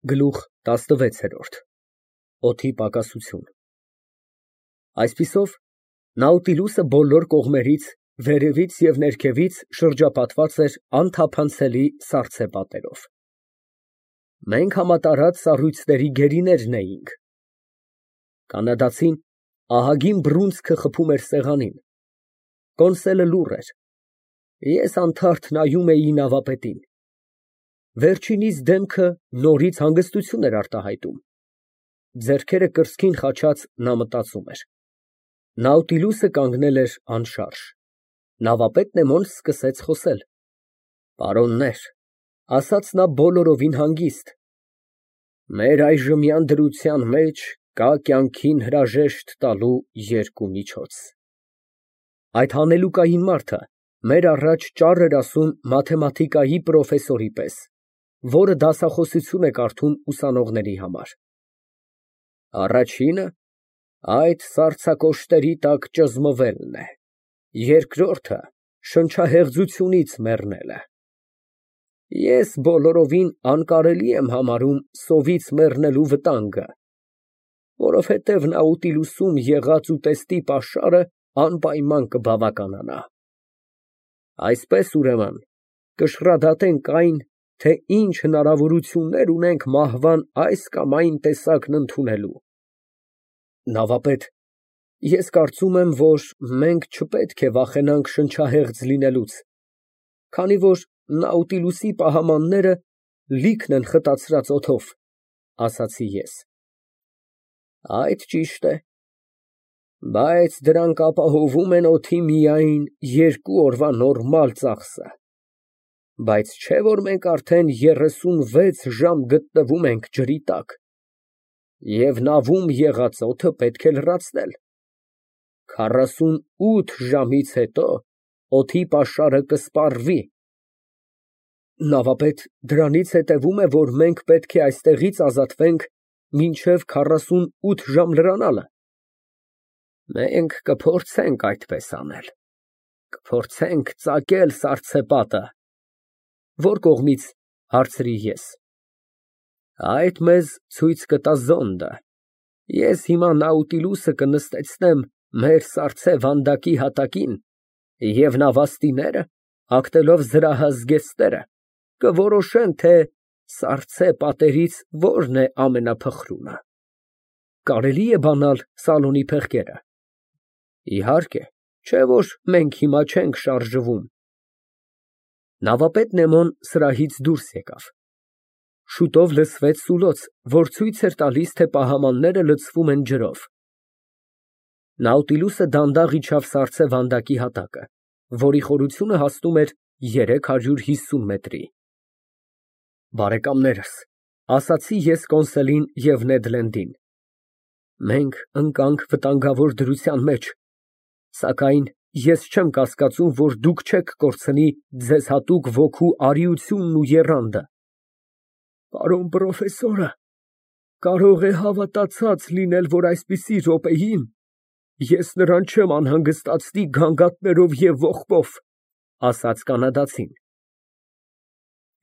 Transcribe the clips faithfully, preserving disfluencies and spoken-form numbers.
Գլուխ տասնվեց։ Օդի պակասություն։ Այսպիսով, Նաուտիլուսը բոլոր կողմերից, վերևից և ներքևից շրջապատված էր անթափանցելի սառցե պատերով։ Մենք համատարած սառույցների գերիներն էինք։ Կանադացին ահագին բռունցքը խփում էր սեղանին։ Կոնսոլը լուռ էր։ Ես անթարթ նայում էի նավապետին։ Վերջինիս դեմքը նորից հանգստություն էր արտահայտում։ Ձեռքերը կրծքին խաչած նա մտածում էր։ Նաուտիլուսը կանգնել էր անշարժ։ Նավապետ Նեմոն սկսեց խոսել։ Պարոններ, ասաց նա բոլորովին հանգիստ, մեր այժմյան դրության մեջ կա կյանքին հրաժեշտ տալու երկու միջոց։ Այդ հանելուկային մարդը մեր առաջ ճառ էր ասում մաթեմատիկայի պրոֆեսորի պես, որը դասախոսություն է կարդում ուսանողների համար։ Առաջինը այդ սառցակոշտերի տակ ճզմվելն է, երկրորդը շնչահեղձությունից մեռնելը։ Ես բոլորովին անկարելի եմ համարում սովից մեռնելու վտանգը, որովհետև Նաուտիլուսում եղած ուտեստի պաշարը անպայման կբավականանա։ Այսպես, ուրեմն, կշռադատենք այն, թե ինչ հնարավորություններ ունենք մահվան այս կամ այն տեսակն ընդունելու։ Նավապետ, ես կարծում եմ, որ մենք չպետք է վախենանք շնչահեղձ լինելուց, քանի որ Նաուտիլուսի պահամանները լիքն են խտացրած օդով, ասացի ես։ Այդ ճիշտ է, բայց դրանք ապահովում են օդի միայն երկու օրվա նորմալ ծախսը, բայց չէ՞ որ մենք արդեն երեսունվեց ժամ գտնվում ենք ջրի տակ, և նավում եղած օդը պետք է լրացնել։ Քառասունութ ժամից հետո օդի պաշարը կսպառվի։ Նավապետ, դրանից հետևում է, որ մենք պետք է այստեղից ազատվենք մինչև քառասունութ ժամ լրանալը։ Մենք կփորձենք այդպես անել, կփորձենք ծակել սառցեպատը։ Ո՞ր կողմից, հարցրի ես։ Այդ մեզ ցույց կտա Զոնդը։ Ես հիմա Նաուտիլուսը կնստեցնեմ մեր սառցե վանդակի հատակին, և նավաստիները, հագնելով զրահազգեստները, կորոշեն, թե սառցե պատերից որն է ամենափխրունը։ Կարելի է բանալ սալոնի փեղկերը։ Իհարկե, չէ՞ որ մենք հիմա չենք շարժվում։ Նավապետ Նեմոն սրահից դուրս եկավ։ Շուտով լսվեց սուլոց, որ ցույց էր տալիս, թե պահամանները լցվում են ջրով։ Նաուտիլուսը դանդաղ իջավ սառցե վանդակի հատակը, որի խորությունը հասնում էր երեք հարյուր հիսուն մետրի։ Բարեկամներս, ասացի ես Կոնսելին և Նեդ Լենդին, մենք ընկանք վտանգավոր դրության մեջ, սակայն ես չեմ կասկածում, որ դուք չեք կորցնի ձեզ հատուկ ոգու արիությունն ու եռանդը։ Պարոն պրոֆեսորը կարող է հավատացած լինել, որ այսպիսի րոպեին ես նրան չեմ անհանգստացնի գանգատներով և ողբով, ասաց կանադացին։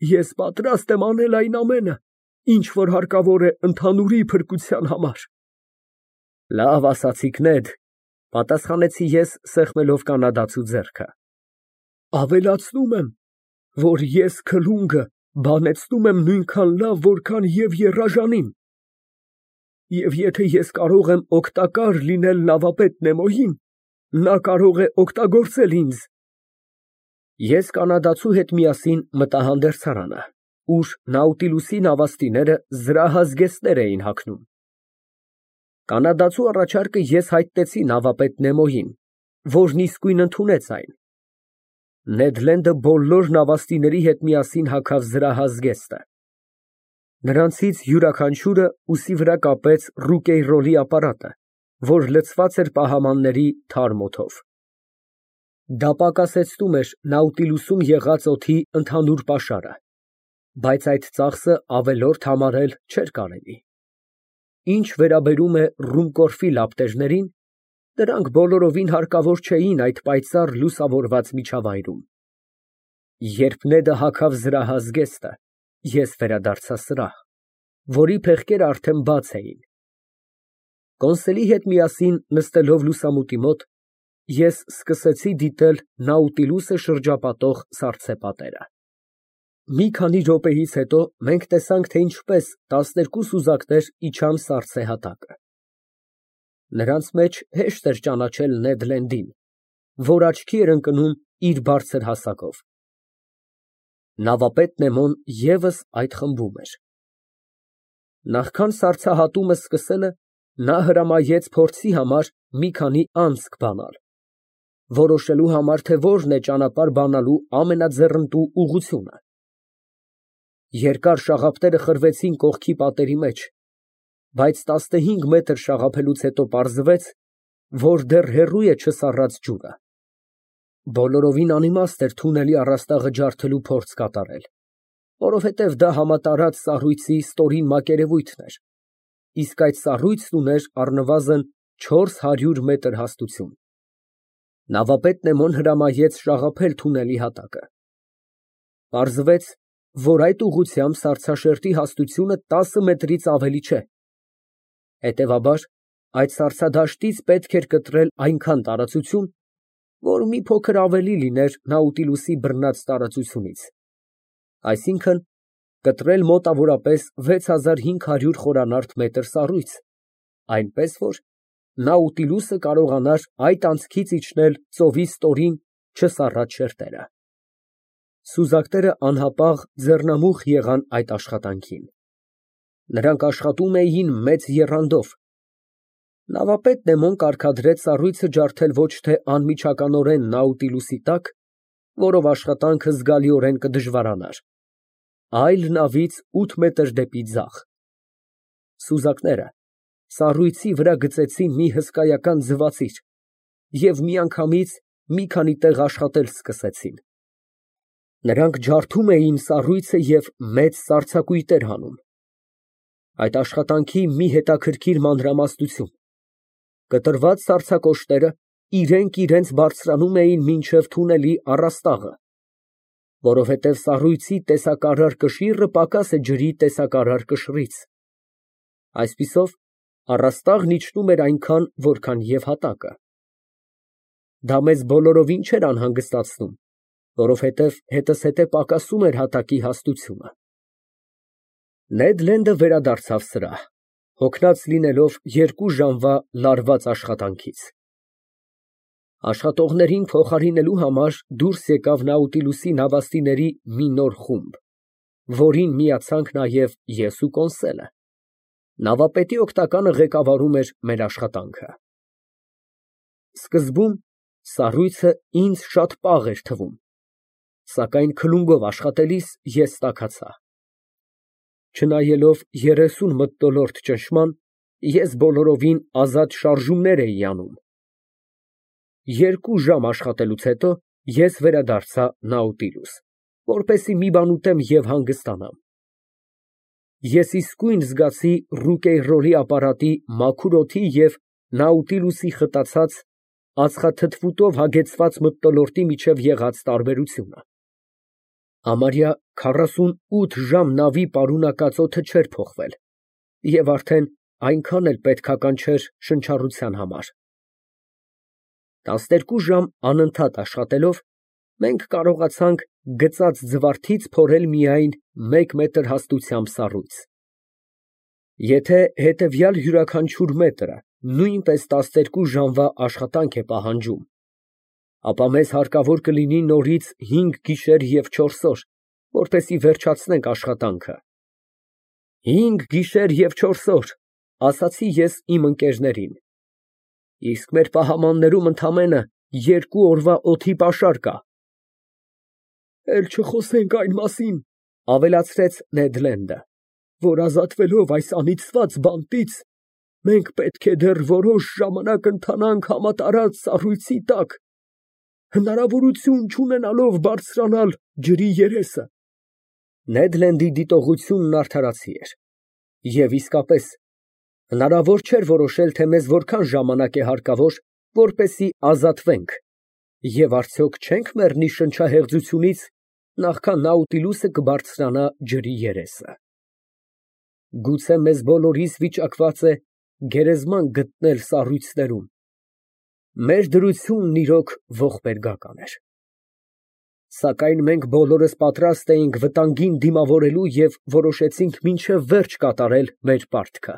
Ես պատրաստ եմ անել այն ամենը, ինչ որ հարկավոր է ընդհանուրի փրկության համար։ Լավ ասացիք, Նեդ, պատասխանեցի ես, սեղմելով կանադացու ձեռքը։ Ավելացնում եմ, որ ես քլունգը բանեցնում եմ նույնքան լավ, որքան և եռաժանին։ Եվ եթե ես կարող եմ օգտակար լինել նավապետ Նեմոյին, նա կարող է օգտագործել ինձ։ Ես կանադացու հետ միասին մտա հանդերձարանը, ուր Նաուտիլուսի նավաստիները զրահազգեստներ էին հագնում։ Կանադացու առաջարկը ես հայտնեցի նավապետ Նեմոյին, որն իսկույն ընդունեց այն։ Նեդ Լենդը բոլոր նավաստիների հետ միասին հագավ զրահազգեստը։ Նրանցից յուրաքանչյուրը ուսի վրա կապեց Ռուկեյրոլի ապարատը, որ լցված էր պահամանների թարմ օդով։ Դա պակասեցնում էր Նաուտիլուսում եղած օդի ընդհանուր պաշարը, բայց այդ ծախսը ավելորդ համարել չէր կարելի։ Ինչ վերաբերում է Ռումկորֆի լապտերներին, դրանք բոլորովին հարկավոր չէին այդ պայծառ լուսավորված միջավայրում։ Երբ Նեդը հագավ զրահազգեստը, ես վերադարձա սրահ։ որի փեղկերը արդեն բաց էին։ Կոնսելի հետ միասին նստելով լուսամուտի մոտ, ես սկսեցի դիտել Նաուտիլուսը շրջապատող սառցե պատերը։ Մի քանի րոպեից հետո մենք տեսանք, թե ինչպես տասներկու սուզակներ իջան սառցե հատակը։ Նրանց մեջ հեշտ էր ճանաչել Նեդ Լենդին, որ աչքի էր ընկնում իր բարձր հասակով։ Նավապետ Նեմոն ևս այդ խմբում էր։ Նախքան սառցահատումը սկսելը, նա հրամայեց փորձի համար մի քանի անցք բանալ, որոշելու համար, թե որն է ճանապարհ բանալու ամենաձեռնտու ուղղությունը։ Երկար շաղափները խրվեցին կողքի պատերի մեջ, բայց տասնհինգ մետր շաղափելուց հետո պարզվեց, որ դեռ հեռու է չսառած ջուրը։ Բոլորովին անիմաստ էր թունելի առաստաղը ջարդելու փորձ կատարել, որովհետև դա համատարած սառույցի ստորին մակերևույթն էր, իսկ այդ սառույցն ուներ առնվազն չորս հարյուր մետր հաստություն։ Նավապետ Նեմոն հրամայեց շաղափել թունելի հատակը։ Պարզվեց, որ այդ ուղղությամբ սառցաշերտի հաստությունը տասը մետրից ավելի չէ։ Հետևաբար, այդ սառցադաշտից պետք էր կտրել այնքան տարածություն, որ մի փոքր ավելի լիներ Նաուտիլուսի բռնած տարածությունից, այսինքն՝ կտրել մոտավորապես վեց հազար հինգ հարյուր խորանարդ մետր սառույց, այնպես որ Նաուտիլուսը կարողանար այդ անցքից իջնել ծովի ստորին չսառած շերտերը։ Սուզակները անհապաղ ձեռնամուխ եղան այդ աշխատանքին։ Նրանք աշխատում էին մեծ եռանդով։ Նավապետ Նեմոն կարգադրեց սառույցը ջարդել ոչ թե անմիջականորեն Նաուտիլուսի տակ, որով աշխատանքը զգալիորեն կդժվարանար, այլ նավից ութ մետր դեպի ձախ։ Սուզակները սառույցի վրա գծեցին մի հսկայական ձվածիր և միանգամից մի քանի տեղ աշխատել սկսեցին։ Նրանք ջարդում էին սառույցը և մեծ սառցակույտեր հանում։ Այդ աշխատանքի մի հետաքրքիր մանրամասնություն. կտրված սառցակոշտերը իրենք իրենց բարձրանում էին մինչև թունելի առաստաղը, որովհետև սառույցի տեսակարար կշիռը պակաս է ջրի տեսակարար կշռից։ Այսպիսով, առաստաղն իջնում էր այնքան, որքան և հատակը։ Դա մեզ բոլորովին չէր անհանգստացնում, որովհետև հետզհետե պակասում էր հատակի հաստությունը։ Նեդ Լենդը վերադարձավ սրահ, հոգնած լինելով երկու ժամվա լարված աշխատանքից։ Աշխատողներին փոխարինելու համար դուրս եկավ Նաուտիլուսի նավաստիների մի նոր խումբ, որին միացանք նաև ես ու Կոնսելը։ Նավապետի օգնականը ղեկավարում էր մեր աշխատանքը։ Սկզբում սառույցը ինձ շատ պաղ էր թվում, սակայն քլունգով աշխատելիս ես տաքացա։ Չնայելով երեսուն մթնոլորտ ճնշման, ես բոլորովին ազատ շարժումներ էի անում։ Երկու ժամ աշխատելուց հետո ես վերադարձա Նաուտիլուս, որպեսզի մի բան ուտեմ և հանգստանամ։ Ես իսկույն զգացի Ռուկեյրորի ապարատի մաքուր օդի և Նաուտիլուսի խտացած, ածխաթթվուտով հագեցված մթնոլորտի միջև եղած տարբերությունը։ Համարյա քառասունութ ժամ նավի պարունակած օդը չէր փոխվել և արդեն այնքան էլ պետքական չէր շնչառության համար։ Տասներկու ժամ անընդհատ աշխատելով, մենք կարողացանք գծած ձվարդից փորել միայն մեկ մետր հաստությամբ սառույց։ Եթե հետևյալ յուրաքանչյուր մետրը նույնպես տասներկու ժամվա աշխատանք է պահանջում, ապա մեզ հարկավոր կլինի նորից հինգ գիշեր և չորս օր, որպեսզի վերջացնենք աշխատանքը։ Հինգ գիշեր և չորս օր, ասացի ես իմ ընկերներին, իսկ մեր պահամաններում ընդամենը երկու օրվա օդի պաշար կա։ Էլ չխոսենք այն մասին, ավելացրեց Նեդ Լենդը, որ ազատվելով այս անիծված բանտից, մենք պետք է դեռ որոշ ժամանակ ընթանանք համատարած սառույցի տակ, հնարավորություն չունենալով բարձրանալ ջրի երեսը։ Նեդ Լենդի դիտողությունն արդարացի էր, և իսկապես, հնարավոր չէր որոշել, թե մեզ որքան ժամանակ է հարկավոր, որպեսզի ազատվենք, և արդյոք չենք մեռնի շնչահեղձությունից, նախքան Նաուտիլուսը կբարձրանա ջրի երեսը։ Գուցե մեզ բոլորիս վիճակված է գերեզման գտնել սառույցներում։ Մեր դրությունն իրոք ողբերգական էր։ Սակայն մենք բոլորս պատրաստ էինք վտանգին դիմավորելու և որոշեցինք մինչև վերջ կատարել մեր պարտքը։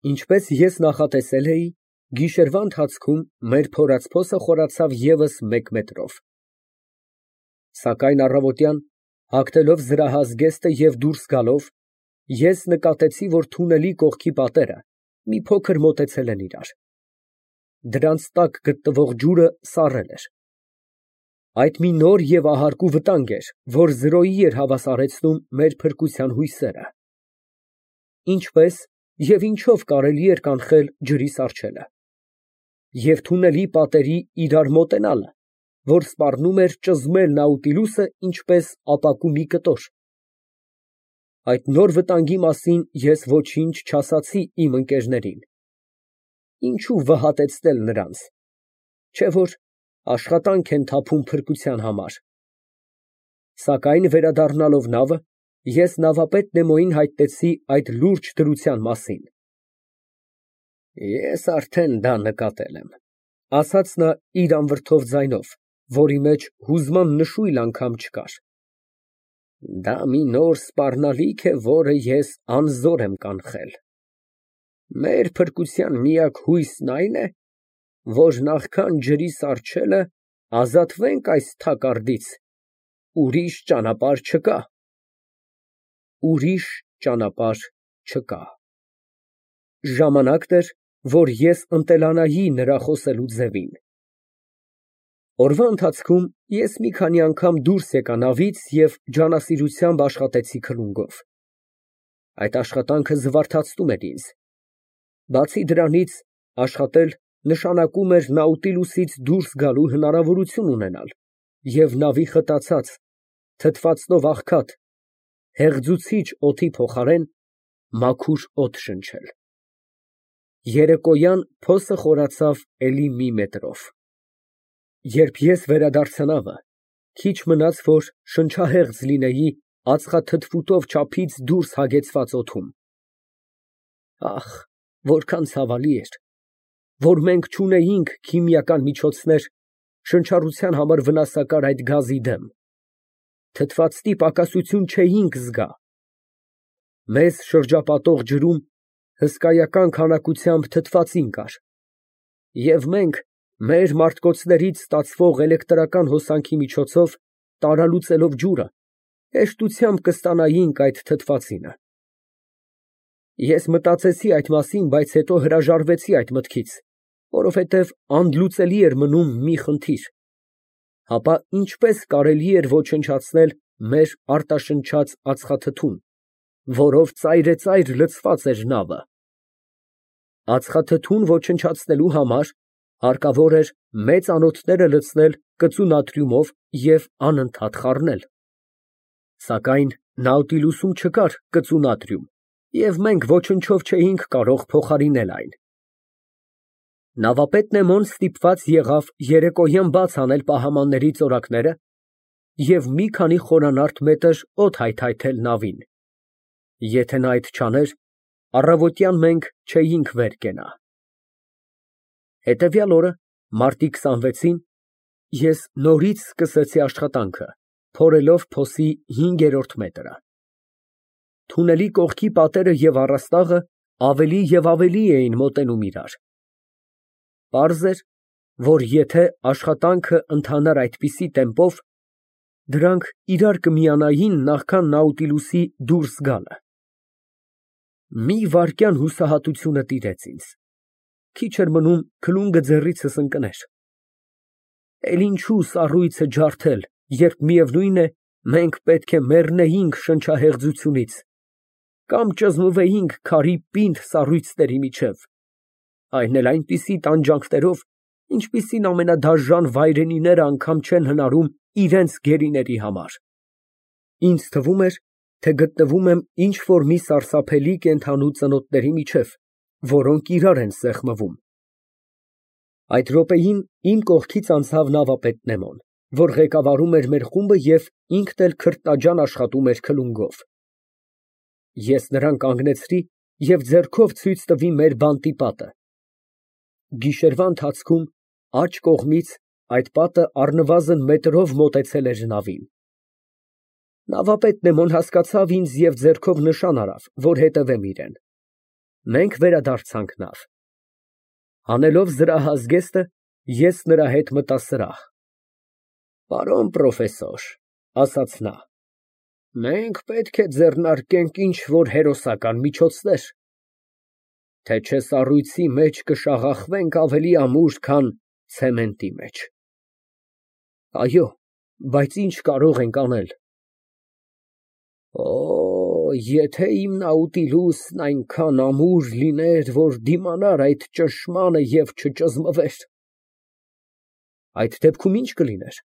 Ինչպես ես նախատեսել էի, գիշերվա ընթացքում մեր փորացփոսը խորացավ ևս մեկ մետրով։ Սակայն առավոտյան, հագնելով զրահազգեստը և դուրս գալով, ես նկատեցի, որ թունելի կողքի պատերը մի փոքր մոտեցել են իրար։ Դրանց տակ գտնվող ջուրը սառել էր։ Այդ մի նոր և ահարկու վտանգ էր, որ զրոյի էր հավասարեցնում մեր փրկության հույսերը։ Ինչպե՞ս և ինչո՞վ կարելի էր կանխել ջրի սառչելը և թունելի պատերի իրար մոտենալը, որ սպառնում էր ճզմել Նաուտիլուսը ինչպես ապակու մի կտոր։ Այդ նոր վտանգի մասին ես ոչինչ չասացի իմ ընկերներին։ Ինչո՞ւ վհատեցնել նրանց, չէ՞ որ աշխատանք են թափում փրկության համար։ Սակայն վերադառնալով նավը, ես նավապետ Նեմոյին հայտնեցի այդ լուրջ դրության մասին։ Ես արդեն դա նկատել եմ, ֊ ասաց նա իր անվրդով ձայնով, որի մեջ հուզման նշույլ անգամ չկար։ Դա մի նոր սպառնալիք է, որը ես անզոր եմ կանխել։ Մեր փրկության միակ հույսն այն է, որ նախքան ջրի սառչելը ազատվենք այս թակարդից, ուրիշ ճանապարհ չկա։ Ուրիշ ճանապարհ չկա։ Ժամանակն էր, որ ես ընտելանայի նրա խոսելու ձևին։ Օրվա ընթացքում ես մի քանի անգամ դուրս եկա նավից և ջանասիրությամբ աշխատեցի քլունգով։ Այդ աշխատանքը զվարթացնում էր ինձ։ Բացի դրանից, աշխատել նշանակում էր Նաուտիլուսից դուրս գալու հնարավորություն ունենալ և նավի խտացած, թթվածնով աղքատ, հեղձուցիչ օդի փոխարեն մաքուր օդ շնչել։ Երեկոյան փոսը խորացավ էլի մի մետրով։ Երբ ես վերադարձա նավը, քիչ մնաց, որ շնչահեղձ լինեի ածխաթթվուտով չափից դուրս հագեցված օդում։ Ահ, որքան ցավալի էր, որ մենք չունեինք քիմիական միջոցներ շնչառության համար վնասակար այդ գազի դեմ, թթվածնի պակասություն չէինք զգա։ Մեզ շրջապատող ջրում հսկայական քանակությամբ թթվածին կար, և մենք մեր մարտկոցներից ստացվող էլեկտրական հոսանքի միջոցով տարալուծելով ջուրը, հեշտությամբ կստանայինք այդ թթվածինը։ Ես մտածեցի այդ մասին, բայց հետո հրաժարվեցի այդ մտքից, որովհետև անդլուծելի էր մնում մի խնդիր. հապա ինչպե՞ս կարելի էր ոչնչացնել մեր արտաշնչած ածխաթթուն, որով ծայրեծայր լցված էր նավը։ Ածխաթթուն ոչնչացնելու համար հարկավոր էր մեծ անոթները լցնել կծու նատրիումով և անընդհատ խառնել։ Սակայն Նաուտիլուսում չկար կծու նատրիում, և մենք ոչնչով չէինք կարող փոխարինել այն։ Նավապետ Նեմոն ստիպված եղավ երեկոյան բաց անել պահամանների ծորակները և մի քանի խորանարդ մետր օդ հայթայթել նավին։ Եթե նա այդ չաներ, առավոտյան մենք չէինք վեր կենա։ Հետևյալ օրը, մարտի քսանվեցին, ես նորից սկսեցի աշխատանքը, փորելով փոսի հինգերորդ մետրը։ Թունելի կողքի պատերը և առաստաղը ավելի և ավելի էին մոտենում իրար։ Պարզ էր, որ եթե աշխատանքը ընթանար այդպիսի տեմպով, դրանք իրար կմիանային նախքան Նաուտիլուսի դուրս գալը։ Մի վայրկյան հուսահատությունը տիրեց ինձ, քիչ էր մնում քլունգը ձեռիցս ընկներ։ Էլ ինչու սառույցը ջարդել, երբ միևնույն է, մենք պետք է մեռնեինք շնչահեղձությունից կամ ճզմվեինք քարի պինդ սառույցների միջև, այն էլ այնպիսի տանջանքներով, ինչպիսին ամենադաժան վայրենիները անգամ չեն հնարում իրենց գերիների համար։ Ինձ թվում էր, թե գտնվում եմ ինչ֊որ մի սարսափելի կենդանու ծնոտների միջև, որոնք իրար են սեղմվում։ Այդ րոպեին իմ կողքից անցավ նավապետ Նեմոն, որ ղեկավարում էր մեր խումբը և ինքն էլ քրտնաջան աշխատում էր քլունգով։ Ես նրան կանգնեցրի և ձեռքով ցույց տվի մեր բանտի պատը։ Գիշերվա ընթացքում աջ կողմից այդ պատը առնվազն մետրով մոտեցել էր նավին։ Նավապետն էմոն հասկացավ ինձ և ձեռքով նշան արավ, որ հետևեմ իրան։ Մենք վերադարձանք նավ։ Հանելով զրահազգեստը, ես նրա հետ մտա սրահ։ Պարոն պրոֆեսոր, ֊ ասաց նա, ֊ մենք պետք է ձեռնարկենք ինչ֊որ հերոսական միջոցներ, թե չէ սառույցի մեջ կշաղախվենք ավելի ամուր, քան ցեմենտի մեջ։ Այո, բայց ի՞նչ կարող ենք անել։ Օ, եթե իմ Նաուտիլուսն այնքան ամուր լիներ, որ դիմանար այդ ճնշմանը և չճզմվեր։ Այդ դեպքում ի՞նչ կլիներ։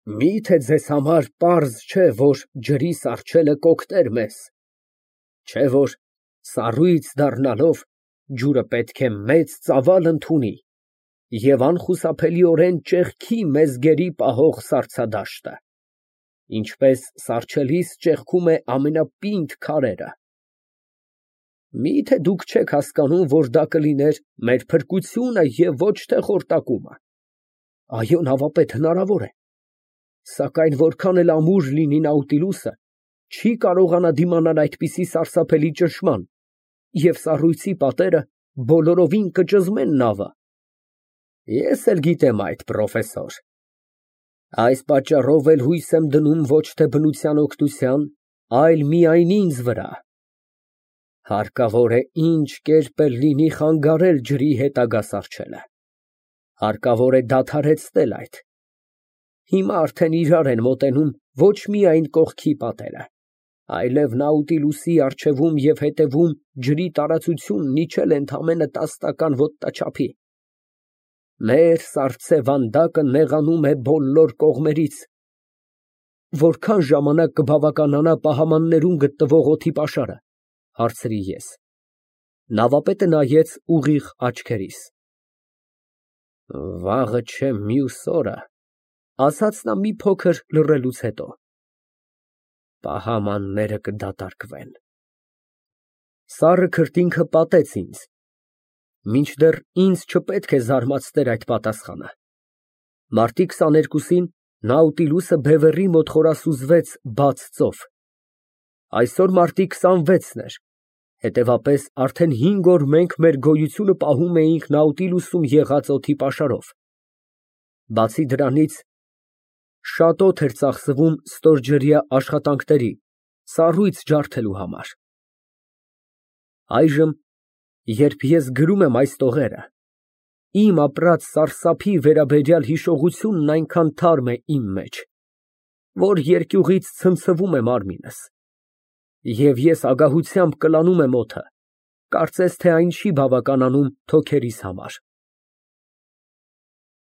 Մի՞թե ձեզ համար պարզ չէ, որ ջրի սառչելը կօգներ մեզ, չէ՞ որ սառույց դառնալով ջուրը պետք է մեծ ծավալ ընդունի և անխուսափելիորեն ճեղքի մեզ գերի պահող սառցադաշտը, ինչպես սառչելիս ճեղքում է ամենապինդ քարերը։ Մի՞թե դուք չեք հասկանում, որ դա կլիներ մեր փրկությունը և ոչ թե խորտակումը։ Այո, նավապետ, հնարավոր է, սակայն որքան էլ ամուր լինի Նաուտիլուսը, չի կարողանա դիմանալ այդպիսի սարսափելի ճնշման, և սառույցի պատերը բոլորովին կճզմեն նավը։ Ես էլ գիտեմ այդ, պրոֆեսոր։ Այս պատճառով էլ հույս եմ դնում ոչ թե բնության օգնության, այլ միայն ինձ վրա։ Հարկավոր է ինչ կերպ էլ լինի խանգարել ջրի հետագա սառչելը, հարկավոր է դադարեցնել այդ։ Հիմա արդեն իրար են մոտենում ոչ միայն կողքի պատերը, այլև Նաուտիլուսի առջևում և հետևում ջրի տարածությունն իջել է ընդամենը տաս տական ոտնաչափի։ Մեր սառցե վանդակը նեղանում է բոլոր կողմերից։ Որքա՞ն ժամանակ կբավականանա պահամաններում գտնվող օդի պաշարը, ֊ հարցրի ես։ Նավապետը նայեց ուղիղ աչքերիս։ Վաղը չէ մյուս օրը, ֊ ասաց նա մի փոքր լռելուց հետո, պահամանները կդատարկվեն։ Սառը քրտինքը պատեց ինձ, մինչդեռ ինձ չպետք է զարմացներ այդ պատասխանը։ Մարտի քսաներկուսին Նաուտիլուսը բևեռի մոտ խորասուզվեց բաց ծով։ Այսօր մարտի քսանվեցն էր, հետևապես արդեն հինգ օր մենք մեր գոյությունը պահում էինք Նաուտիլուսում եղած օդի պաշարով։ Բացի դրանից, շատ օդ էր ծախսվում ստորջրյա աշխատանքների, սառույց ջարդելու համար։ Այժմ, երբ ես գրում եմ այս տողերը, իմ ապրած սարսափի վերաբերյալ հիշողությունն այնքան թարմ է իմ մեջ, որ երկյուղից ցնցվում է մարմինս, և ես ագահությամբ կլանում եմ օդը, կարծես թե այն չի բավականանում թոքերիս համար։